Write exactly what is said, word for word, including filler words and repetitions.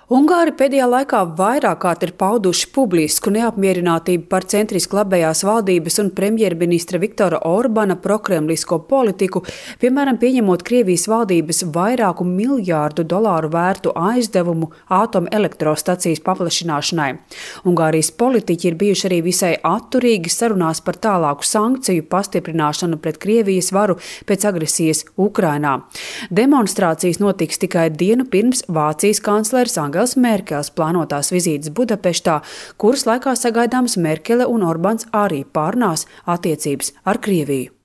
Ungāri pēdējā laikā vairāk kārt ir pauduši publisku neapmierinātību par centriski labējās valdības un premjerministra Viktora Orbana prokremlisko politiku, piemēram, pieņemot Krievijas valdības vairāku miljārdu dolāru vērtu aizdevumu atomelektrostacijas paplašināšanai. Ungārijas politiķi ir bijuši arī visai atturīgi sarunās par tālāku sankciju pastiprināšanu pret Krievijas varu pēc agresijas Ukrainā. Demonstrācijas notiks tikai dienu pirms Vācijas kancleres Angels Merkels plānotās vizītes Budapeštā, kuras laikā sagaidāms Merkele un Orbāns arī pārnās attiecības ar Krieviju.